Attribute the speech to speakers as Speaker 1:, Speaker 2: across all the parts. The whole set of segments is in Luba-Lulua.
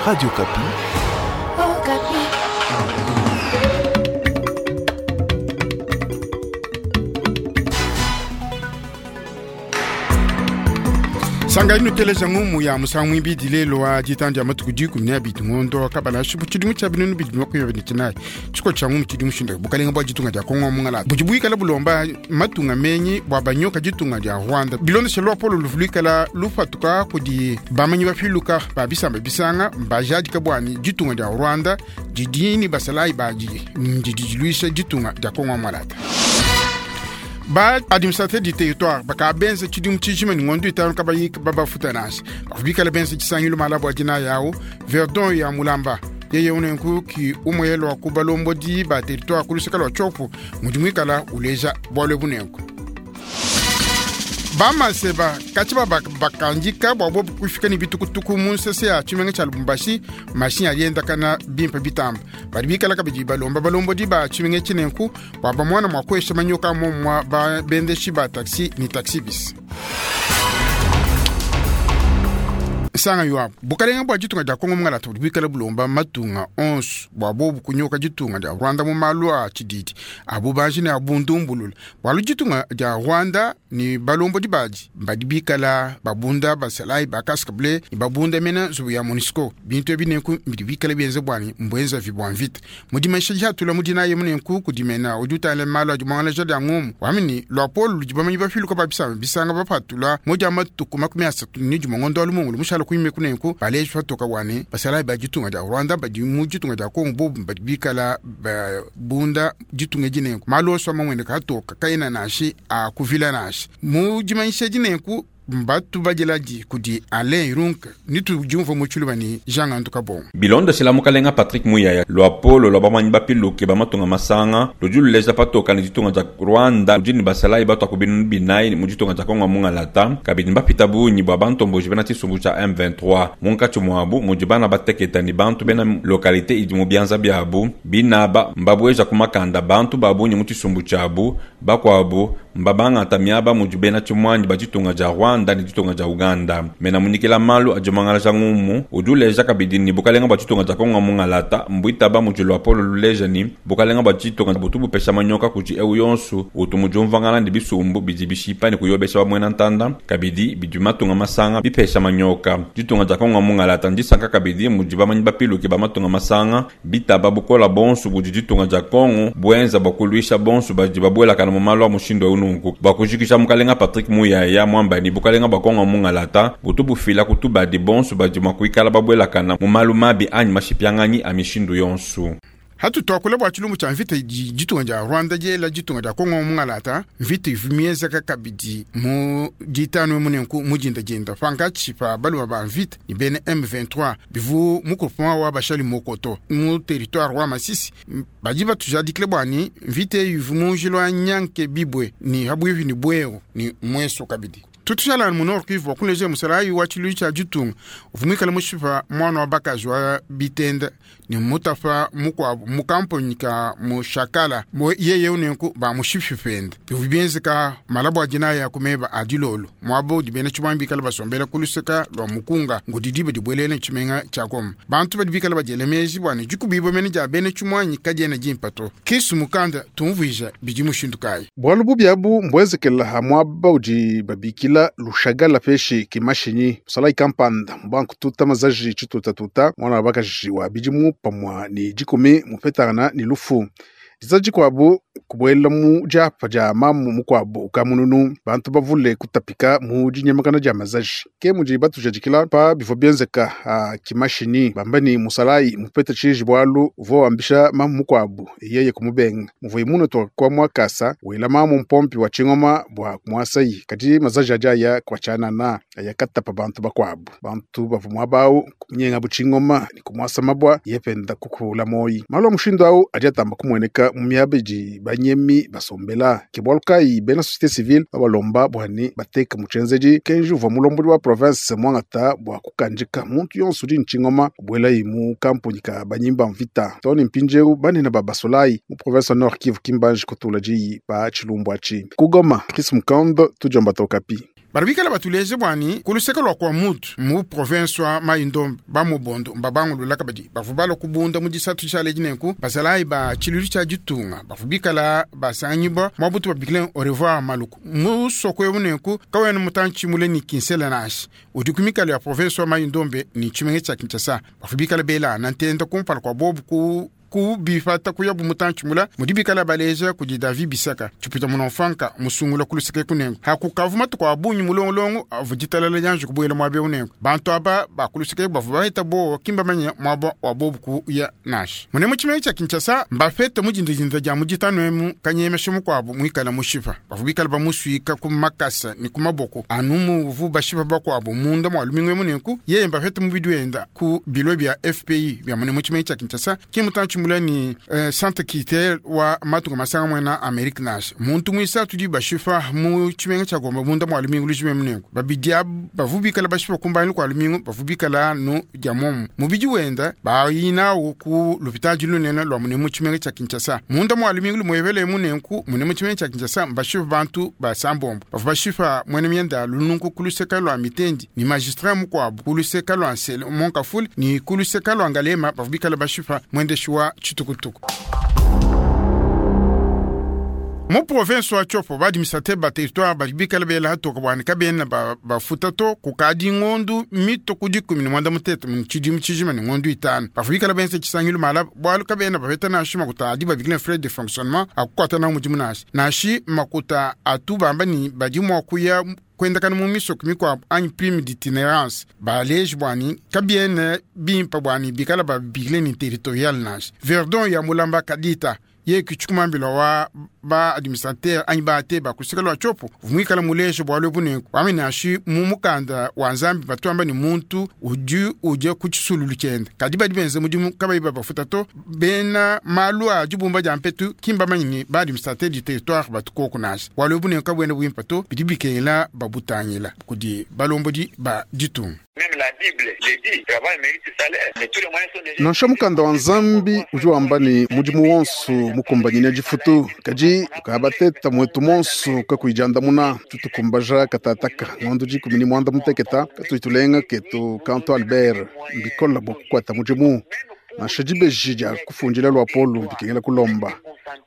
Speaker 1: Radio Okapi.
Speaker 2: Okapi.
Speaker 3: Sangayi nuteleja ngumu ya musangu mwibidi lelo wa ditanu dia matuku 12 ngondo kabala shubu tshidimu tshia 2024 tshiko tshia ngumu tshidi mushindu bukalenga bua ditunga dia Kongo mungala budi buikala bulomba matunga menyi bua banyoka ditunga dia Rwanda bilondeshe luapolo luvu luikala lupatuka kudi bamanyi bapiluka ba bisamba bisanga mbajadika bwani ditunga dia Rwanda didi ni basalayi badi ndidi diluisha ditunga dia Kongo mulata. Ba administrateur du territoire bakabenza tshidimu tshijima ni ngondo itanu kabayi babafuta nansha bavua benza tshisangilu malabu adina yawo Verdon ya Mulamba yeye unenku ki umwelo wa kubalombodi ba territoire kuluseka lwa tshopo mudi muikala uleja bwalwe bunenku. Bamaseba katshi bakandika bwa bobu kufika ni bitukutuku mu nsese ya tshimenga tshia Lubumbashi mashinyi aliendakana bimpe bitamba badi bikala kabidi balomba balombodi ba tshimenga tshinenku bua bamona mua kuesha manyoka momua babendeshi ba taxi ni taxi bis. Sanga yuabu bukalenga bua ditunga dia Kongo mungalata budi buikala bulomba matunga onso bua bobu kunyoka ditunga dia Rwanda mu malu a tshididi abu banji ne abundumbulula bualu ditunga dia Rwanda ni balombodi badi badi bikala babunda basalayi ba casque bleu ni babunda mena nzubu ya MONUSCO bintu ebi nenku bidi bikala bienze bwani mbwenza vi bua mvita mudimaisha dihatula mudinaye munenku kudimena udi utala malu adi muangalaja dia ngumu wamini luapolo ludi bamanyi bafiluka ba bisamba bisanga bapatula modia matuku 31 ngondo wa lumungulu mushala kuime kunenku baleji patoka wane basalayi ba ditunga dia Rwanda badi mu ditunga dia Kongo bobu badi bikala babunda ditunga dinenku malu onso amamwene katoka kaena nashi akuvila nashi mu dimanyisha dinenku mbatu bajeladi kudi Alain Irunka nitu diumva mu tshiluba ni Jean Ngandu Kabongo.
Speaker 4: Bilondeshela mukalenga Patrick Muyaya luapolo lwa bamanyi bapiluke ba matunga masanga ludi luleja patoka ni ditunga dia Rwanda ludi ni basalayi batwa ku binunu binayi mu ditunga dia Kongo mungalata kabidi mbapita bunyi bua bantomboji bena tshisumbu tshia M23 munkatshi muabu mudi bana bateketa ni bantu bena localité idi mu bianza biabu binaba mbabueja ku makanda bantu ba bunyi mu tshisumbu tshiabu bakuabu mbabangata miaba mudi bena tshimuanyi ba ditunga dia Rwanda ni ditunga dia Uganda. Mena munikila malu adi mangalaja ngumu udi uleja kabidi ni bukalenga bua ditunga dia Kongo mungalata mbuitaba mudi luapolo luleja ni bukalenga bua ditunga butu bupesha manyoka kudi eu yonsu utu mudi umvangana ni bisumbu bidi bishipa ni kuyobesha bamuena ntanda kabidi bidi matunga masanga bipesha manyoka. Ditunga dia Kongo mungalata ndisanka kabidi mudi bamanyi bapiluke ba matunga masanga bitaba bukola bonsu budi ditunga dia Kongo buenza bua kuluisha bonsu badi babuelakana mu malu a mushindu eu nunku. Bua kujikisha mukalenga Patrick Muyaya mwamba ni bukalenga bua Kongo mungalata butu bufila kutubadi bonsu badi mua kuikala babuelakana mu malu mabi anyi mashipianganyi a mishindu yonsu.
Speaker 3: Hatu twakula bua tshilumbu tshia mvita idi ditunga dia Rwanda diela ditunga dia Kongo mungalata mvita ivu mienzeka kabidi mu ditanu munenku mudindadinda pankatshi pa balume ba mvita ni bena M23 bivu mu groupement wa bashali mokoto mu territoire wa Masisi badi batujadikile bwani mvita eyi ivu mu njila wa Nyanke Bibwe ni habwivi ni Bweru ni mweso kabidi. Tutushala mu Nord Kivu wakuleja musalayi wa tshilu tshia ditunga uvumikala mushipa mwana wa bakaji wa bitenda ni mutafa mukuabu mu kamponi ka mushakala mo yeye unenku ba mushipi pende bivu bienzeka malabu adina ya kumeba adilolo mwabo dibena tshibambi kala basombela kuluseka lwa mukunga ngudi dibe dibwelele tshimenga tshia Goma bantu badi bikala badiele meji bwane dikubibo mene dia bena tshimwanyi kadiena dimpato kisu mukanda tumvuija bidi mushindu kayi
Speaker 5: Bualu bubi abu mbuenzekela ha muaba udi babikila lushagala peshi kimashinyi musalayi kampanda mubanku tuta mazaji tshitutatuta mwana wa bakaji wa bidimu pamua ni dikumi mupetangana ni lufu diza dikuabu kubuela mu diapa dia mamu mukuabu ukamununu bantu bavule kutapika mu dinyemakana dia mazaji ke mudi batujadikila pa bivua bienzeka ha kimashinyi bamba ni musalayi mupeta tshiji bualu uvua wambisha mamu mukuabu yeye kumubenga muvuyi muno toka muakasa wela mamu mpompi wa tshingoma bua kumuasayi kadi mazaji adi aya kua tshianana aya katapa bantu bakuabu bantu bavua muaba awu kumunyenga bu tshingoma ni kumuasa mabua yependa kukula moyi malu a mushindu awu adi atamba kumueneka mu miaba idi banyemi basombela ke bualu kayi bena société civile babalomba bwani bateka mu tshienzedi kenji uvua mulombodi wa province muangata bua kukandika muntu yonso udi ntshingoma kubuelayi mu kampuni ka banyimba mvita too ne mpindieu banene ba basolayi mu province wa Nord Kivu kimbanji kutula diyi pa tshilumbu atshi ku Goma Chris Mukando tudiomba Okapi.
Speaker 3: Badi bikala batuleje bua ne ku luseke lua Kwamouth mu province wa Mai-Ndombe ba Mobondo mbabangulula kabidi bavua balua kubunda mu disatu tshialedi nenku basalayi ba tshiluilu tshia ditunga bavua bikala basanganyibua muaba utu babikila au revoir Maluku musoko eu nenku kawena mutantshi mule ne Kinsele nansha udi ku mikalu ya province wa Mai-Ndombe ne tshimenga tshia Kinshasa bavua bikala belana ntenda kumpala kua bobu ku kubipata kuyabu mutantshi mula mudi bikala baleja kudi David Bisaka tshipita munomfanka musungula ku luseke kunengo hakukavu matuku a bungi mulongolongo avua ditalala dianji kubuela muaba eu nengo bantu aba ba ku luseke bavua baheta bowa kimba manya muaba wa bobu kuya nansha mune mu tshimenga tshia Kinshasa mbafete mu dindadinda dia mu ditanu emu kanyemesha mukuabu muikala mushipa bavua bikala bamusuika ku makasa ne ku maboko anu muvu bashipa bakuabu munda mua lumingu emu nenku yeye mbafete mubidi wenda ku bilo bia FPI bia mune mu tshimenga tshia Kinshasa ki mutantshi mula ni centre culturel wa matunga masanga mwena Amerique nansha muntu muisatu di bashipa mu tshimenga tshia Goma munda mua lumingu lujima emu nenku babidi abu bavu bikala bashipa kumbanyi kua lumingu bavu bikala anu dia momu mubidi wenda bayinawu ku lupitadi lunene lua mune mu tshimenga tshia Kinshasa munda mua lumingu lumuevele emu nenku mune mu tshimenga tshia Kinshasa mbashipa bantu basambombo bavua bashipa mwene mienda lununku ku luseka lua Mitendi ni magistrat mukuabu ku luseka lua Nsele Monkafule ni ku luseka lua Ngalema bavua bikala bashipa mwendeshi wa tshitukutuku. Mu province wa Tshopo ba administrateur ba territoire badi bikala bela hatoka bua ne kabena bafuta to kukadi ngondu mito ku dikumi ne muanda mutete mu tshidimu tshijima ne ngondu itanu bavua bikala benza tshisangilu mala bualu kabena bapeta nansha makuta adi babikila frais de fonctionnement akukuata nawu mudimu nansha nansha makuta atu bamba ni badi mua kuya kuendakana mu misoko mikuabu anyi prime d'itinérance baleji bua ne kabiena bimpa bua ne bikala babikile ni territorial nansha Verdon ya Mulamba Kadita ye kichikumambila wa ba administrateur anyi ba te bakusika lwa Tshopo vumuikala muleje bualu ebu nenku wamenashi mu mukanda wa Nzambi batuamba ni muntu udi udia ku tshisululu tshiende kadi badi benza mudimu kabayi babafuta to bena malu a dibumba dia mpetu kimbamanyi ni ba administrateur du territoire batukoko nansha bualu ebu nenku kabuena buimpa to bidi bikengela babutangila kudi balombodi ba ditunga.
Speaker 5: Nansha mukanda wa Nzambi udi wamba ne mudimu wonso mukumbanyine difutu kadi kabateta mwetu monso kakuijandamuna tutukumbaja katataka ngondo dikumi ni mwanda muteketa katuitulenga ketu kanto Albert mbikola bua kukwata mudimu nansha dibeji dia kufundila lua polu bikengela kulomba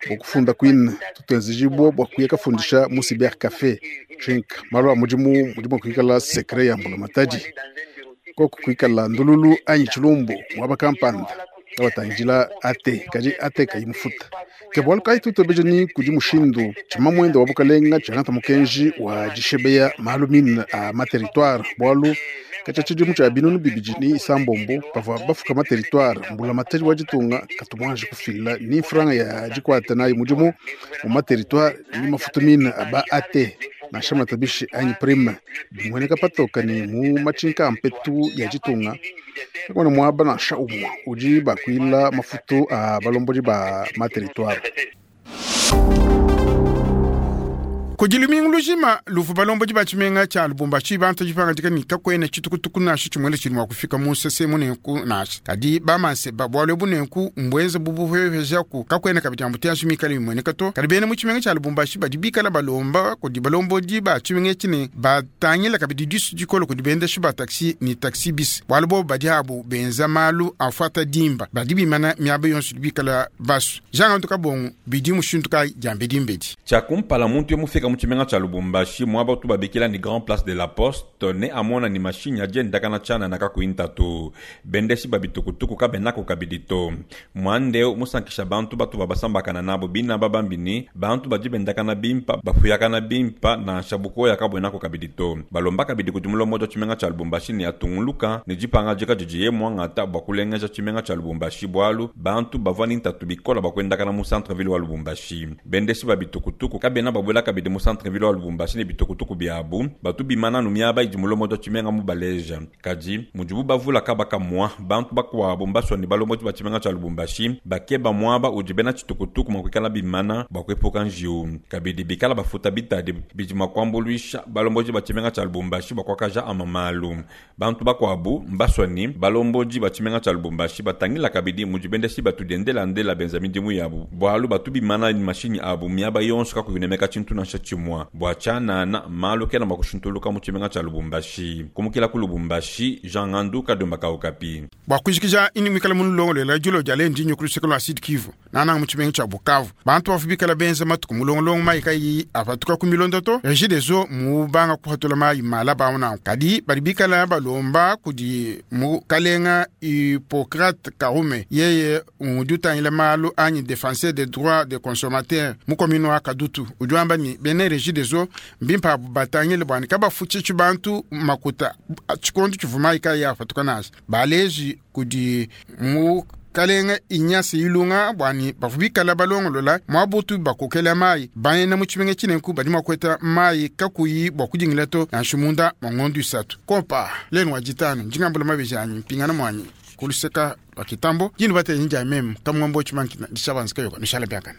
Speaker 5: bua kufunda kwine tutenzejibwa bua kuya kafundisha mu cyber café drink malu a mudimu mudimu kuikala secret ya mbulamatadi koko kuikala ndululu anyi tshilumbu muaba kampanda kabatangidila ate kadi ate kayi mufuta ke bualu kayi tutobeja ni kudi mushindu tshima muende wa bukalenga tshiangata mukenji wa dishebeya malu mine a materitoire bualu katshia tshidimu tshia binunu bibidi ni isambombo pavua bafuka materitoire mbulamatadi wa ditunga katumuanji kufila ni franga ya dikuata nayi mudimu mu materitoire ni mafuta mine aba ate nansha matabishi anyi prime bimueneka patoka ni mu matshinka a mpetu ya ditunga kakuna muaba nansha umue udi bakuila mafutu a balombodi ba materitoire.
Speaker 3: Kudi lumingu lujima luvu balombodi ba tshimenga tshia Lubumbashi bantu dipangadika ni kakuena tshitukutuku nansha tshimuele tshidi mua kufika mu nsese munenku nansha kadi bamanseba bualu ebu nenku mbuenza bubuhehejaku kakuena kabidi embouteillage mikale mimueneka to kadi bena mu tshimenga tshia Lubumbashi badi bikala balomba kudi balombodi ba tshimenga etshi ne batangila kabidi disu dikolo kudi bendeshi ba taxi ni taxi bis bualu bobu badi abu benza malu afuata dimba badi bimana miaba yonso idi bikala basu Jean Antu Kabongo bidi mushindu kayi dia mbedimbedi.
Speaker 4: Tshia kumpala muntu yo mufika mu tshimenga tshia Lubumbashi muaba utu babikila ni Grand Place de la Poste ne amona ni mashinyi adi endakana tshianana kakuyi ntatu bendeshi ba bitukutuku kabenako kabidi to muandeu musankisha bantu batu babasambakana nabo bina babambi ni bantu badi bendakana bimpa bafuyakana bimpa nansha bukoya kabuenako kabidi to balomba kabidi kudi mulombodi wa tshimenga tshia Lubumbashi ne atunguluka ne dipangadika didiye muangata bua kulengeja tshimenga tshia Lubumbashi bualu bantu bavua ni ntatu bikola bua kuendakana mu centre ville wa Lubumbashi bendeshi ba bitukutuku kabena babuela kabidi mu centre ville wa Lubumbashi ne bitukutuku biabu batu bimana nu miaba idi mulombodi wa tshimenga mu baleja kadi mudibu bavula kabaka mwa bantu bakuabu mbasua ne balombodi ba tshimenga tshia Lubumbashi bakeba muaba udi bena tshitukutuku mua kuikala bimana bua kuepuka njiwu kabidi bikala bafuta bitadi bidi mua kuambuluisha balombodi ba tshimenga tshia Lubumbashi bua kuakaja ama malu bantu bakuabu mbasua ne balombodi ba tshimenga tshia Lubumbashi batangila kabidi mudi bendeshi batu diendelandela benza midimu yabu bualu batu bimana mashinyi abu miaba yonso kakuyinemeka tshintu nansha tshimua bua tshianana malu kena mua kushintuluka mu tshimenga tshia Lubumbashi. Kumukila ku Lubumbashi, Jean Ngandu Kadiomba ka Okapi.
Speaker 3: Bua kujikija ini muikale mulongolola dilolo dia lelu ndinyo ku luseke lua Sud Kivu nananga mu tshimenga tshia Bukavu. Bantu bavua bikala benza matuku mulongolongo mayi kayi apatuka ku milonda to. Regideso mubanga kupatula mayi malaba awu nanku, kadi badi bikala balomba kudi mukalenga Hippocrate Karume, yeye udi utangila malu anyi defenseur des droits des consommateurs mu commune wa Kadutu, udi wamba ne bena Regideso mbimpe abu batangile bua ne kabafutshishi bantu makuta tshikondo tshivua mayi kayi apatuka nansha. Baleji kudi mukalenga Ignace Ilunga bua ne bavua bikala balongolola muabutu bakokela mayi bena mu tshimenga tshinenku badi mua kueta mayi kakuyi bua kudingila to nansha munda mua ngondo isatu. Kompa lenu wa ditanu ndingambula mabeji anyi mpingana muanyi ku luseka lua kitambo dinu batenyi dia meme kamungombo tshimankina dishabanzika yoka nushala biakane.